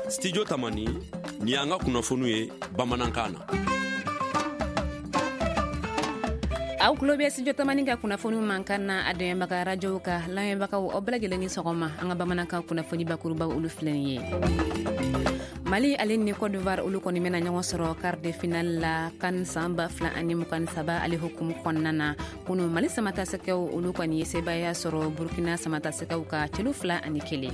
Studio Tamani, ni y'an ka kunnafoniw ye bamanankan na. Aw tulo bɛ Studio Tamani ka kunnafoniw mankan na a dɛmɛbaga rajow ka lamɛnbagaw, aw bɛɛ lajɛlen ni sɔgɔma. An ka bamanankan kunnafoni bakurubaw, olu filɛ nin ye. Mali ale ni Cote d'Ivoire, olu kɔni bɛna ɲɔgɔn sɔrɔ quart de finale la CAN san 2023 ale hukumu kɔnɔna na. Kunu, Mali samatasɛgɛw, olu kɔni ye sebaaya sɔrɔ Burkina samatasɛgɛw ka celu 2-1.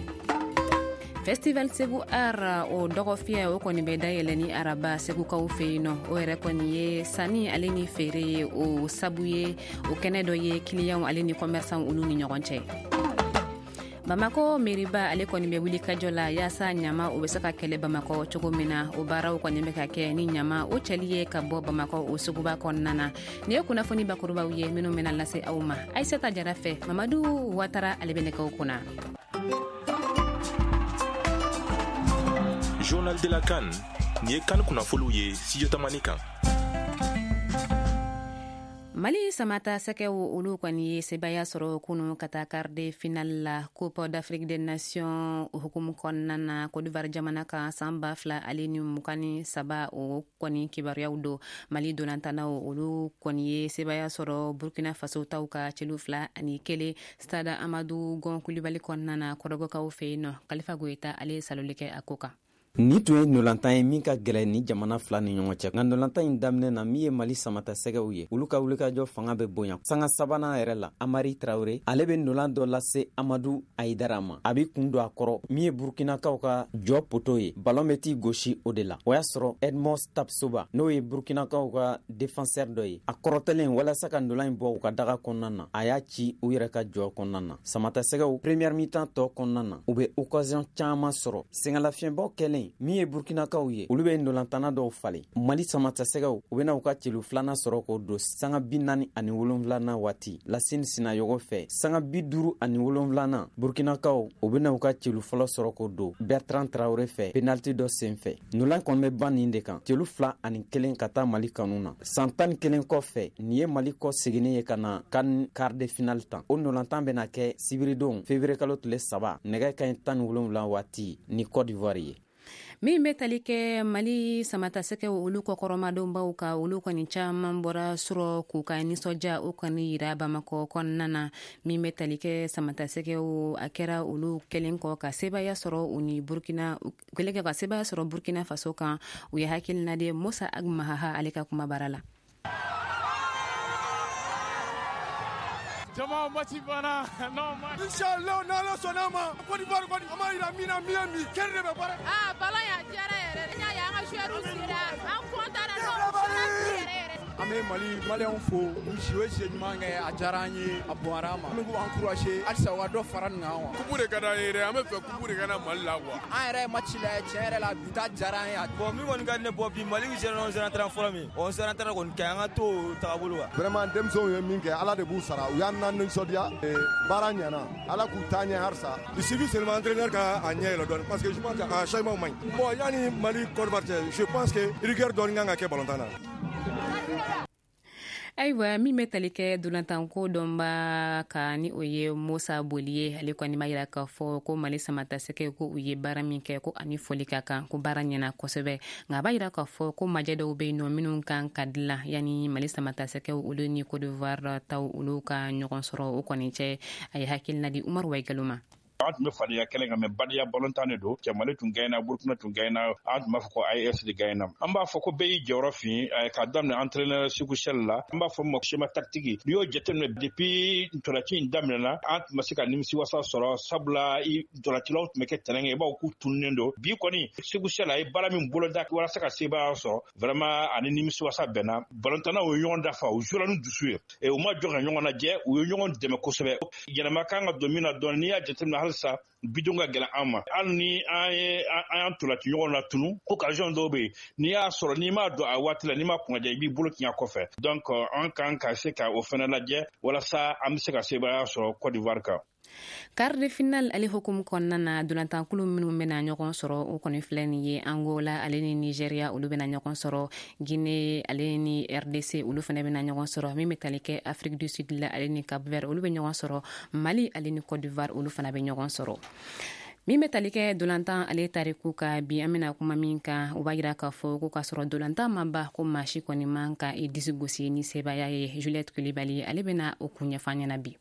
Festival Segu Art, o dɔgɔfiyɛ, o kɔni bɛ dayɛlɛ ni araba Segukaw fɛ yen nɔ. O yɛrɛ kɔni ye sanni ale ni feere ye, o sabu ye o kɛnɛ dɔ ye kiliyanw ale ni commerçant olu ni ɲɔgɔn cɛ. Bamako meriba, ale kɔni bɛ wuli kajɔ la yaasa ɲama o bɛ se ka kɛlɛ Bamakɔ cogo min na. O baaraw kɔni bɛ ka kɛ ni ɲama o cɛli ye ka bɔ Bamakɔ o suguba kɔnɔna na. Nin ye kunnafoni bakurubaw ye minnu bɛna lase aw ma Ayisata Jara fɛ. Mamadu Watara, ale bɛ nɛgɛw kunna. Journal de la CAN, nin ye CAN kunnafoniw ye Studio Tamani kan. Mali samata sɛgɛw, olu kɔni ye sebaya sɔrɔ kunu ka taa quart de finale la Coupe d'Afrique des Nations hukumu kɔnɔna na Côte d'Ivoire jamana kan san 2023. O kɔni kibaruyaw don. Mali dolantanaw, olu kɔni ye sebaya sɔrɔ Burkina Faso taw ka celu 2-1 stade Amadu Gɔn Kulibali kɔnɔna na Kɔrɔgɔkaw fɛ yen nɔ. Kalifa Goyita, ale ye saloli kɛ a ko kan. Nin tun ye ndolantan ye min ka gɛlɛn ni jamana fila ni ɲɔgɔn cɛ, nka ndolantan in daminɛ na, min ye Mali samata sɛgɛw ye, olu ka wulikajɔ fanga bɛ bonya. Sanga sabanan yɛrɛ la, Amari Tarawure, ale bɛ ndolan dɔ lase Amadu Ayidara ma, a bɛ kun don a kɔrɔ. Min ye Burkinakaw ka jɔ poto ye, balɔn bɛ t'i gosi o de la. O y'a sɔrɔ Edmond Tapsoba, n'o ye Burkinakaw ka défenseur dɔ ye, a kɔrɔtɛlen walasa ka ndolan in bɔ u ka daga kɔnɔna na, a y'a ci u yɛrɛ ka jɔ kɔnɔna na. Samata sɛgɛw, première mi-temps tɔ kɔnɔna na, u bɛ occasion caman sɔrɔ. Sɛgɛnlafiɲɛbɔ kɛlen, min ye Burkinakaw ye, olu bɛ ndolantana dɔw falen. Mali samatasɛgɛw, u bɛna u ka celu filanan sɔrɔ k'o don sanga 47nan waati Lasini Sinayogo fɛ. Sanga 57nan, Burkinakaw, u bɛna u ka celu fɔlɔ sɔrɔ k'o don Bertrand Traoré fɛ, penalty dɔ sen fɛ. Ndolan kɔni bɛ ban nin de kan, celu 2-1 ka taa Mali kanu na. San 11 kɔfɛ, nin ye Mali kɔ seginni ye ka na CAN quart de finale tan. O ndolantan bɛna kɛ sibiridon février kalo tile 3, nɛgɛ kaɲɛ 17 waati ni Côte d'Ivoire ye. Min bɛ tali kɛ Mali samatasɛgɛw olu kɔkɔrɔmadonbaw ka, olu kɔni caman bɔra surɔ k'u ka nisɔndiya o kɔni yira Bamakɔ kɔnɔna na. Min bɛ tali kɛ samatasɛgɛw, a kɛra olu kɛlen kɔ ka sebaya sɔrɔ u ni Burkina, kɛlen kɛ ka sebaya sɔrɔ Burkina Faso kan. U ye hakilina di Musa Ag Mahaha, ale ka kuma baara la. Jama, match banna. Non, match. Inchallah, n'Ala sɔnna ma, Côte d'Ivoire kɔni, an b'a yira min na, min ye min kɛri de bɛ baara. Ah, ballon ya diyara yɛrɛ de. N y'a ye an ka joueurs sera, an content na, non, yɛrɛ yɛrɛ. An bɛ Mali maliyɛnw fo, u si o si ɲuman kɛ, a diyara an ye, a bonyara an ma. An bɛ k'u encourager halisa u ka dɔ fara nin kan quoi. Coupe de ka d'an ye dɛ, an bɛ fɛ coupe de ka na Mali la quoi. An yɛrɛ ye match lajɛ, tiɲɛ yɛrɛ la, bi ta diyara an ye. Bon, min kɔni ka di ne, bɔ bi Mali bɛ 0-0 fɔlɔ min, 11 kɔni ka ɲi, an ka to o tagabolo kan. Vraiment, denmisɛnw ye min kɛ, Ala de b'u sara, u y'an na nisɔndiya, baara ɲɛna, Ala k'u taa ɲɛ halisa. Il suffit seulement entraîneur ka a ɲɛ yɛlɛ dɔɔni, parce que je pense que a changement man ɲi. Bon, yanni Mali Côte d'Ivoire cɛ, je pense que rigueur dɔɔni kan ka kɛ ballon tan na. Ayiwa, min bɛ tali kɛ dolantanko dɔnba ka, ni o ye Musa Boli ye, ale kɔni b'a yira k'a fɔ ko Mali samatasɛgɛ, ko u ye baara min kɛ, ko ani foli ka kan, ko baara ɲɛna kosɛbɛ. Nka a b'a yira k'a fɔ ko majɛ dɔw bɛ yen nɔ minnu kan ka dilan yanni Mali samatasɛgɛw olu ni Côte d'Ivoire taw olu ka ɲɔgɔn sɔrɔ o kɔni cɛ. A ye hakilina di Umaru Wayigalo ma. An tun bɛ fadenya kɛlɛ kan, mɛ badenya balontan de don. Cɛ, Mali tun gagné, Burkina tun gagné, an tun b'a fɔ ko AES de gagné. An b'a fɔ ko bɛɛ y'i jɔyɔrɔ fin, k'a daminɛ entraîneur Sekou Chelle la. An b'a fɔ ma schéma tactique. N'i y'o jateminɛ, depuis ntolaci in daminɛna, an tun ma se ka nimisiwasa sɔrɔ, sabula ntolacilaw tun bɛ kɛ terrain kan, i b'a fɔ k'u tununnen don. Bi kɔni, Sekou Chelle a ye baara min boloda walasa ka sebaaya sɔrɔ, vraiment ani nimisiwasa bɛnna. Balontannaw ye ɲɔgɔn dafa, u jouera ni dusu ye, u ma jɔ ka ɲɔgɔn lajɛ, u ye ɲɔgɔn dɛmɛ kosɛbɛ. Yɛlɛma kan ka don min na dɔɔni, n'i y'a jateminɛ, halisa bidon ka gɛlɛn an ma. Hali ni an ye an y'an tolaci ɲɔgɔn na tunu, occasion dɔw bɛ yen, n'i y'a sɔrɔ, n'i m'a don a waati la, n'i ma kunnaja, i b'i bolo tiɲɛ kɔfɛ. Donc an kan ka se ka o fɛnɛ lajɛ walasa an bɛ se ka sebaaya sɔrɔ Côte d'Ivoire kan. Quart de finale ale hukumu kɔnɔna na, dolantankulu minnu bɛna ɲɔgɔn sɔrɔ, o kɔni filɛ nin ye: Angola ale ni Nigeria, olu bɛna ɲɔgɔn sɔrɔ. Guinée ale ni RDC, olu fana bɛna ɲɔgɔn sɔrɔ. Min bɛ tali kɛ Afrique du Sud la ale ni Cap Vert, olu bɛ ɲɔgɔn sɔrɔ. Mali ale ni Côte d'Ivoire, olu fana bɛ ɲɔgɔn sɔrɔ. Min bɛ tali kɛ dolantan ale tariku ka bi, an bɛna kuma min kan, o b'a yira k'a fɔ ko k'a sɔrɔ dolantan ma ban, ko maa si kɔni man ka i disi gosi ni sebaaya ye. Juliette Kulibali, ale bɛna o kun ɲɛfɔ an ɲɛna bi.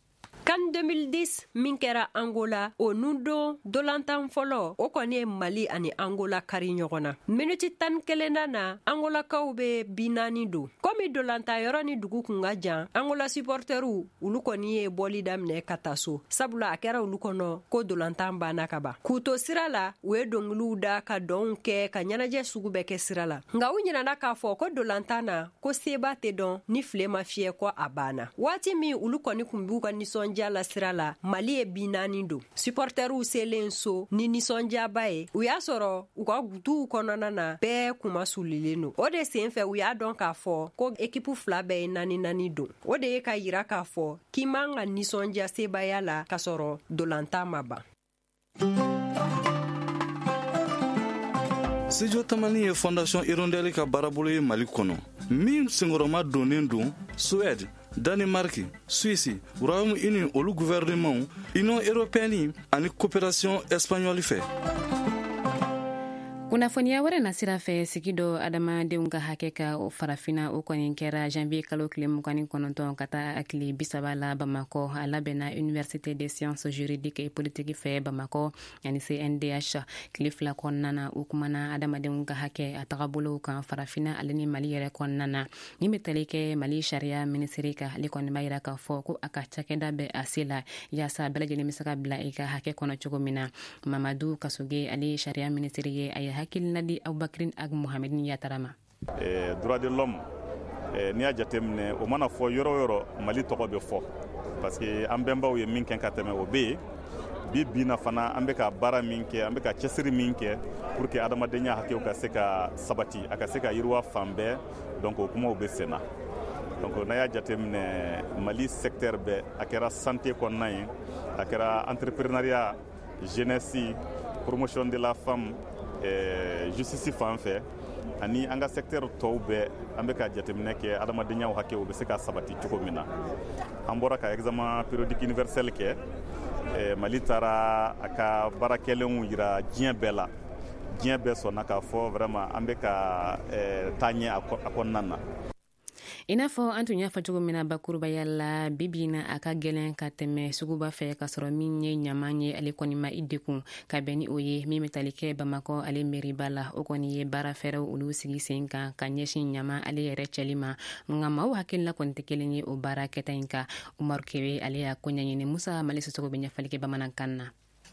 CAN 2010 min kɛra Angola, o nundon dolantan fɔlɔ, o kɔni ye Mali ani Angola kari ɲɔgɔn na. Miniti 11nan na, Angolakaw bɛ bi 4 don. Komi dolantan yɔrɔ ni dugu kun ka jan, Angola supporteriw, olu kɔni ye bɔli daminɛ ka taa so, sabula a kɛra olu kɔnɔ ko dolantan banna ka ban. K'u to sira la, u ye dɔnkiliw da, ka dɔnw kɛ, ka ɲɛnajɛ sugu bɛɛ kɛ sira la. Nka u ɲinana k'a fɔ ko dolantan na, ko seba tɛ dɔn ni file ma fiyɛ ko a banna. Waati min olu kɔni kun b'u ka nisɔndiya la sira la, Mali ye bi 4 don. Supporteriw selen so ni nisɔndiyaba ye, u y'a sɔrɔ u ka duw kɔnɔna na, bɛɛ kuma sulilen don. O de sen fɛ, u y'a dɔn k'a fɔ ko ekipu fila bɛɛ ye naani naani don. O de ye ka yira k'a fɔ k'i man ka nisɔndiya sebaya la k'a sɔrɔ dolantan ma ban. Studio Tamani ye Fondation Hirondelle ka baarabolo ye Mali kɔnɔ, min senkɔrɔma donnen don Suède, Danemark, Suisse, Royaume-Uni, olu gouvernement, Union européenne ani coopération espagnole fɛ. Kunnafoniya wɛrɛ na sira fɛ, sigi dɔ adamadenw ka hakɛ ka Farafina, o kɔni kɛra janvier kalo tile 29 ka taa tile 30 la Bamakɔ. A labɛnna Université des sciences juridiques et politiques fɛ Bamakɔ ani CNDH. Tile 2 kɔnɔna na, o kumana adamadenw ka hakɛ a tagabolow kan Farafina ale ni Mali yɛrɛ kɔnɔna na. Min bɛ tali kɛ Mali sariya minisiri kan, ale kɔni b'a yira k'a fɔ ko a ka cakɛda bɛ a se la yaasa bɛɛ lajɛlen bɛ se ka bila i ka hakɛ kɔnɔ cogo min na. Mamadu Kasoge, ale ye sariya minisiri ye, a ye hakilina di Abubakrin Ag Mohamedin Yatara ma. Droit de l'homme, n'i y'a jateminɛ, o mana fɔ yɔrɔ o yɔrɔ, Mali tɔgɔ bɛ fɔ, parce que an bɛnbaw ye min kɛ ka tɛmɛ, o bɛ yen. Bi bi na fana, an bɛ ka baara min kɛ, an bɛ ka cɛsiri min kɛ pour que adamadenya hakɛw ka se ka sabati, a ka se ka yiriwa fan bɛɛ, donc o kumaw bɛ sen na. Donc n'a y'a jateminɛ, Mali secteur bɛɛ, a kɛra santé kɔnɔna ye, a kɛra entrepreneuriat, jeunesse, promotion de la femme, justice fan fɛ, ani an ka secteur tɔw bɛɛ, an bɛ ka jateminɛ kɛ adamadenya hakɛw bɛ se ka sabati cogo min na. An bɔra ka examen périodique universel kɛ. Mali taara a ka baara kɛlenw yira diɲɛ bɛɛ la. Diɲɛ bɛɛ sɔnna k'a fɔ vraiment an bɛ ka taa ɲɛ a kɔnɔna na. I n'a fɔ an tun y'a fɔ cogo min na bakurubaya la, bibi na a ka gɛlɛn ka tɛmɛ suguba fɛ ka sɔrɔ min ye ɲaman ye, ale kɔni ma i dekun ka bɛn ni o ye. Min bɛ tali kɛ Bamakɔ ale meriba la, o kɔni ye baara fɛɛrɛw olu sigi sen kan ka ɲɛsin ɲaman ale yɛrɛ cɛli ma. Nka maaw hakilina kɔni tɛ kelen ye o baara kɛta in kan. Umaru Kebe, ale y'a ko ɲɛɲini. Musa Mali Sisoko bɛ ɲɛfɔli kɛ bamanankan na.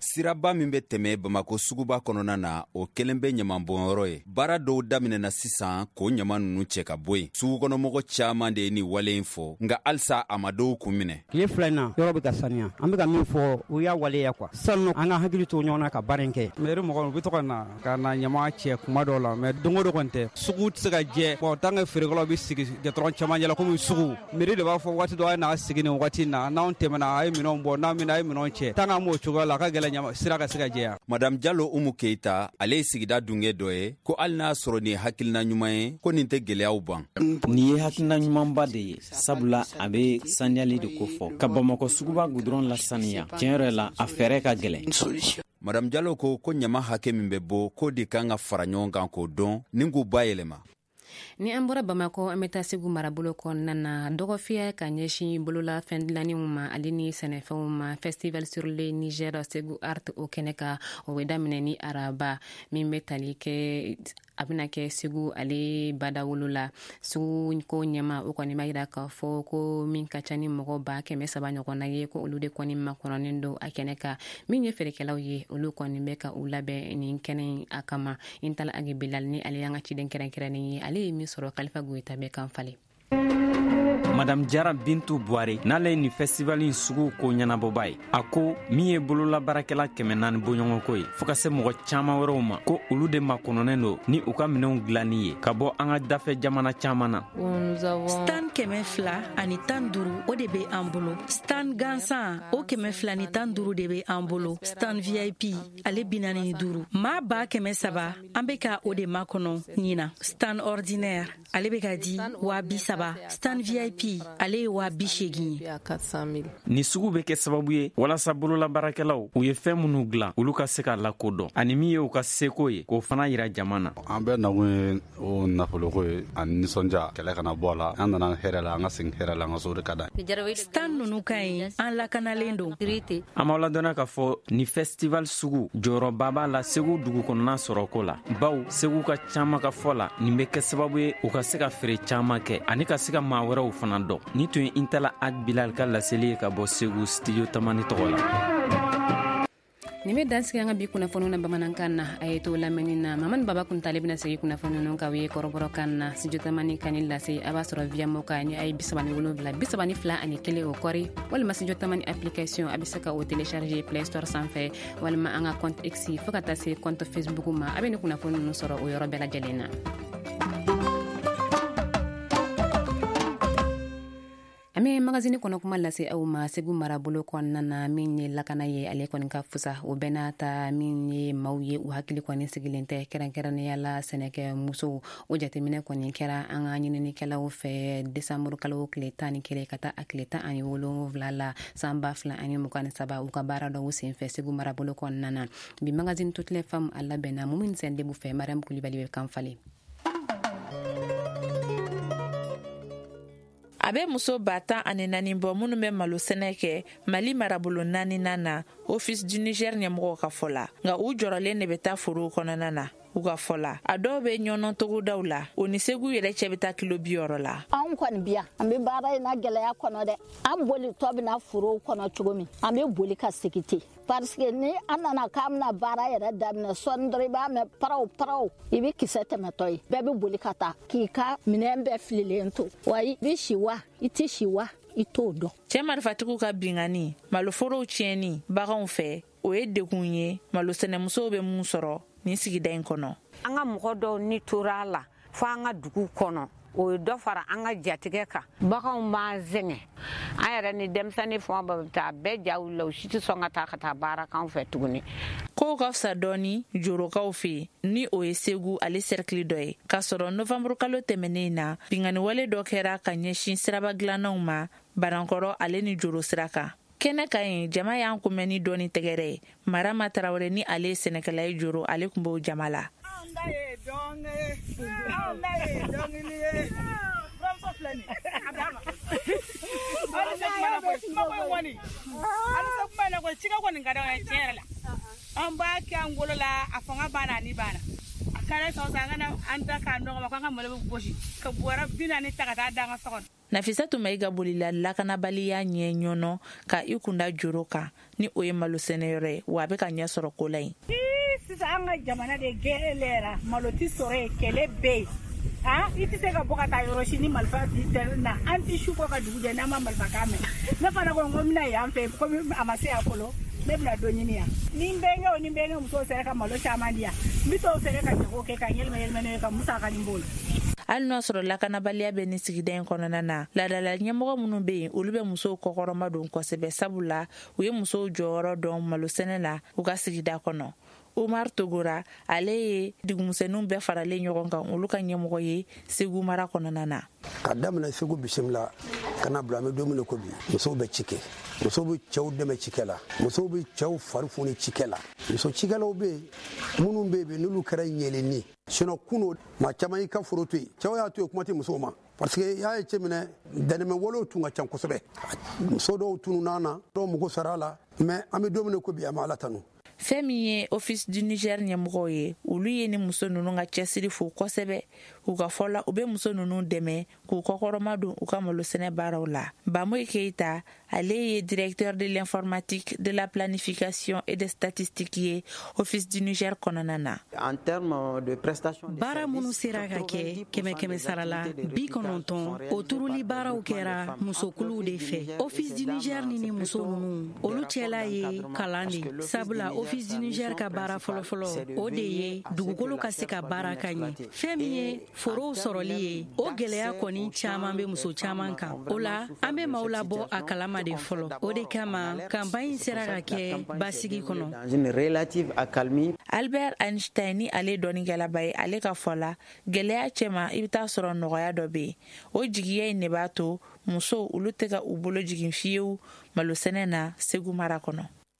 Siraba min bɛ tɛmɛ Bamako suguba kɔnɔna na, o kelen bɛ ɲamanbɔnyɔrɔ ye. Baara dɔw daminɛna sisan k'o ɲama ninnu cɛ ka bɔ yen. Sugukɔnɔmɔgɔ caman de ye nin wale in fɔ, nka halisa a ma dɔw kun minɛ. Tile 2 in na, yɔrɔ bɛ ka saniya. An bɛ ka min fɔ, u y'a waleya quoi. Sanu, an ka hakili to ɲɔgɔn na ka baara in kɛ. Mairie mɔgɔw, u bɛ to ka na ka na ɲama cɛ kuma dɔw la, mais don o don kɔni tɛ. Sugu tɛ se ka jɛ bon, tant que feerekɛlaw bɛ sigi gɛtɔrɔn cɛmancɛ la komi sugu. Mairie de b'a fɔ waati dɔ a ye n'a sigi nin waati in na, n'anw tɛmɛna a ye minɛnw bɔ, n'an bɛna a ye minɛnw cɛ. Tant que an b'o cogoya la, a ka gɛlɛn sira ka se ka jɛya. Madame Jalo Umu Keita, ale ye sigida dunge dɔ ye, ko hali n'a sɔrɔ nin ye hakilina ɲuman ye, ko nin tɛ gɛlɛyaw ban. Nin ye hakilina ɲumanba de ye, sabula a bɛ saniyali de kofɔ ka Bamakɔ suguba gudɔrɔn lasaniya. Tiɲɛ yɛrɛ la, a fɛɛrɛ ka gɛlɛn. Madame Jalo ko ko ɲama hakɛ min bɛ bɔ, k'o de kan ka fara ɲɔgɔn kan k'o dɔn ni k'u bayɛlɛma. Ni an bɔra Bamakɔ, an bɛ taa Segu marabolo kɔnɔna na. Dɔgɔfiyɛ ka ɲɛsin bolola fɛn dilanninw ma ale ni sɛnɛfɛnw ma, Festival sur le Niger Segu Art, o kɛnɛ kan, o bɛ daminɛ ni araba min bɛ tali kɛ, a bɛna kɛ Segu ale badawolo la. Sugu ko ɲɛma, o kɔni b'a yira k'a fɔ ko min ka ca ni mɔgɔ 300,000 ɲɔgɔnna ye, ko olu de kɔni makɔnɔnen don a kɛnɛ kan. Min ye feerekɛlaw ye, olu kɔni bɛ ka u labɛn nin kɛnɛ in a kama. Intala Agi Bilal ni ale y'an ka ciden kɛrɛnkɛrɛnnen ye, ale ye min sɔrɔ, Kalifa Goyita bɛ kan falen. Madame Jara Bintu Buware, n'ale ye nin festival in sugu ko ɲɛnabɔba ye, a ko min ye bololabaarakɛla 400 bɔɲɔgɔnko ye, fɔɔ ka se mɔgɔ caaman wɛrɛw ma, ko olu de makɔnɔnen don ni u ka minɛnw dilanni ye ka bɔ an ka dafɛ jamana caaman na. Stan 215, o de bɛ an bolo. Stan gansan, o 215 de bɛ an bolo. Stan VIP, ale 45. Maa 300,000, an bɛ ka o de makɔnɔ ɲina. Stan ordinaire, ale bɛ ka di 30,000. Stan VIP VIP, ale ye 80,000 ye. Nin sugu bɛ kɛ sababu ye walasa bololabaarakɛlaw u ye fɛn minnu dilan, olu ka se ka lakodɔn, ani min ye u ka seko ye, k'o fana yira jama na. An bɛɛ nakun ye o nafoloko ye ani nisɔndiya, kɛlɛ kana bɔ a la. An nana hɛrɛ la, an ka segin hɛrɛ la, an ka so de ka d'an ye. Stan ninnu ka ɲi, an lakanalen don. An b'aw ladɔnniya k'a fɔ ni festival sugu jɔyɔrɔba b'a la Segu dugu kɔnɔna sɔrɔko la, baw Segu ka caman ka fɔ la, nin bɛ kɛ sababu ye u ka se ka feere caman kɛ ani ka se ka maa wɛrɛw fana dɔn. Nin tun ye Intala Ag Bilal ka laseli ye ka bɔ Segu studio Tamani tɔgɔ la. Nin bɛ dansigi an ka bi kunnafoniw na bamanankan na. A ye to lamɛnni na. Mamani Baba Kuntale bɛna segin kunnafoni ninnu k'aw ye kɔrɔbɔrɔkan na. Studio Tamani ka nin lase, a b'a sɔrɔ via moka ni a ye 37 32 ani 1 o kɔri, walima Studio Tamani application, a bɛ se ka o télécharger Play Store sanfɛ, walima an ka compte X fo ka taa se compte Facebook ma. A bɛ nin kunnafoni ninnu sɔrɔ o yɔrɔ bɛɛ lajɛlen na. An bɛ magazine kɔnɔ kuma lase aw ma Segu marabolo kɔnɔna na. Min ye lakana ye, ale kɔni ka fusa. O bɛɛ n'a ta, min ye maaw ye, u hakili kɔni sigilen tɛ, kɛrɛnkɛrɛnnenya la sɛnɛkɛ musow. O jateminɛ kɔni kɛra an ka ɲininikɛlaw fɛ desanburu kalo tile 11 ka taa a tile 17 la san 2023, u ka baara dɔw senfɛ Segu marabolo kɔnɔna na. Bi magazine Toutes les femmes, a labɛnna Mumini Sɛndebu fɛ, Mariam Kulibali bɛ kan falen. A bɛ muso 14,000 bɔ minnu bɛ malo sɛnɛ kɛ Mali marabolo naaninan na, Office du Niger ɲɛmɔgɔw ka fɔ la. Nka u jɔrɔlen de bɛ taa forow kɔnɔna na. U ka fɔ la, a dɔw bɛ ɲɔnɔ togodaw la, o ni Segu yɛrɛ cɛ bɛ taa kilo 60 la. Anw kɔni bi yan, an bɛ baara in na gɛlɛya kɔnɔ dɛ. An bolitɔ bɛna forow kɔnɔ cogo min, an bɛ boli ka segin ten. Parce que ni an nana k'an bɛna baara yɛrɛ daminɛ, sɔɔni dɔrɔn i b'a mɛn paraw paraw, i bɛ kisɛ tɛmɛtɔ ye. Bɛɛ bɛ boli ka taa k'i ka minɛn bɛɛ fililen to. Wa i bɛ si wa, i tɛ si wa, i t'o dɔn. Cɛ marifatigiw ka binkanni, maloforow tiɲɛni baganw fɛ, o ye degun ye malosɛnɛmusow bɛ mun sɔrɔ nin sigida in kɔnɔ. An ka mɔgɔ dɔw ni tora a la fo an ka dugu kɔnɔ, o ye dɔ fara an ka jatigɛ kan. Baganw b'an sɛgɛn, an yɛrɛ ni denmisɛnnin fɛn o fɛn bɛ taa, bɛɛ ja wulila, u si tɛ sɔn ka taa baara k'an fɛ tuguni. Kow ka fisa dɔɔni jorokaw fɛ yen, ni o ye Segu ale sɛrikili dɔ ye. K'a sɔrɔ novanburu kalo tɛmɛnen na, binkanniwale dɔ kɛra ka ɲɛsin siraba dilannaw ma Banankɔrɔ ale ni Joro sira kan. Kɛnɛ ka yen, jama y'an kunbɛn ni dɔɔni tɛgɛrɛ ye. Marama Tarawele ni ale ye sɛnɛkɛla ye Joro, ale tun b'o jama la. Anw ta ye dɔnkɛ ye, anw ta ye dɔnkili ye. Buramuso filɛ nin ye, a d'a ma. Aw ni se kuma na koyi, kuma ko in kɔni, aw ni se kuma in na koyi, cikɛ kɔni ka d'anw ye tiɲɛ yɛrɛ la. An b'a kɛ an bolo la, a fanga banna, a ni banna. A kɛra san o san, an kana an da k'a nɔgɔ ma k'an ka malo bɛ gosi ka bɔrɛ 40 ta ka taa da an ka so kɔnɔ. Nafisatu Mayiga bolila lakanabaliya ɲɛ ɲɔnɔ ka i kunda Joro kan, ni o ye malo sɛnɛyɔrɔ ye, wa a bɛ ka ɲɛ sɔrɔ ko la yen. Sisan an ka jamana de gɛlɛyara, malo tɛ sɔrɔ yen, kɛlɛ bɛ yen. I tɛ se ka bɔ ka taa yɔrɔ si ni marifa tɛ na. An tɛ su kɔ ka dugu jɛ n'an ma marifakan mɛn. Ne fana ko n ko n bɛna yan fɛ, komi a ma se yan fɔlɔ, ne bɛna dɔ ɲini yan. Ni n bɛnkɛw ni n bɛnkɛ musow sera ka malo caman di yan, n bɛ t'o feere ka jago kɛ ka yɛlɛma yɛlɛma n'o ye ka musaka nin b'o la. Hali n'a sɔrɔ lakanabaliya bɛ nin sigida in kɔnɔna na, laadala ɲɛmɔgɔ minnu bɛ yen, olu bɛ musow kɔkɔrɔma don kosɛbɛ, sabula u ye musow jɔyɔrɔ dɔn malosɛnɛ la u ka sigida kɔnɔ. Umar Togora, ale ye dugumisɛnninw bɛɛ faralen ɲɔgɔn kan, olu ka ɲɛmɔgɔ ye Segu mara kɔnɔna na. Ka daminɛ Segu bisimila ka na bila an bɛ don min na ko bi, musow bɛ ci kɛ, musow bɛ cɛw dɛmɛ cikɛ la, musow bɛ cɛw fari foni cikɛ la. Muso cikɛlaw bɛ yen minnu bɛ yen n'olu kɛra ɲɛlenni. Sinon kunun maa caman y'i ka foro to yen, cɛw y'a to yen, kuma tɛ musow ma. Parce que y'a ye cɛ minɛ, dɛnɛmɛ walew tun ka ca kosɛbɛ. Muso dɔw tununna na, dɔw mago sara la, mais an bɛ don min na ko bi, an bɛ Ala tanu. Fɛn min ye Office du Niger ɲɛmɔgɔw ye, olu ye ni muso ninnu ka cɛsiri fo kosɛbɛ. U ka fɔ la, u bɛ muso ninnu dɛmɛ k'u kɔkɔrɔma don u ka malosɛnɛ baaraw la. Bamoyi Keita, ale ye directeur de l'informatique, de la planification et des statistiques ye Office du Niger kɔnɔna na. En termes de prestation de Baara minnu sera ka kɛ, kɛmɛ kɛmɛ sara la 90, o turuli baaraw kɛra musokuluw de fɛ. Office du Niger ni muso ninnu, olu cɛla ye kalan de, sabula Office du Niger ka baara fɔlɔfɔlɔ, o de ye dugukolo ka se ka baara ka ɲɛ. Fɛn min ye forow sɔrɔli ye, o gɛlɛya kɔni caman bɛ muso caman kan. O la, an bɛ maaw labɔ a kalama. ma de fɔlɔ. O de kama kanpaɲi in sera ka kɛ basigi kɔnɔ. Dans une relative accalmie. Albert Einstein, ni ale dɔnnikɛlaba ye, ale ka fɔ la, gwɛlɛya cɛma, i bɛ taa sɔrɔ nɔgɔya dɔ bɛ yen. O jigiya in de b'a to musow, olu tɛ ka u bolo jigin fiyewu malosɛnɛ na Segu mara kɔnɔ.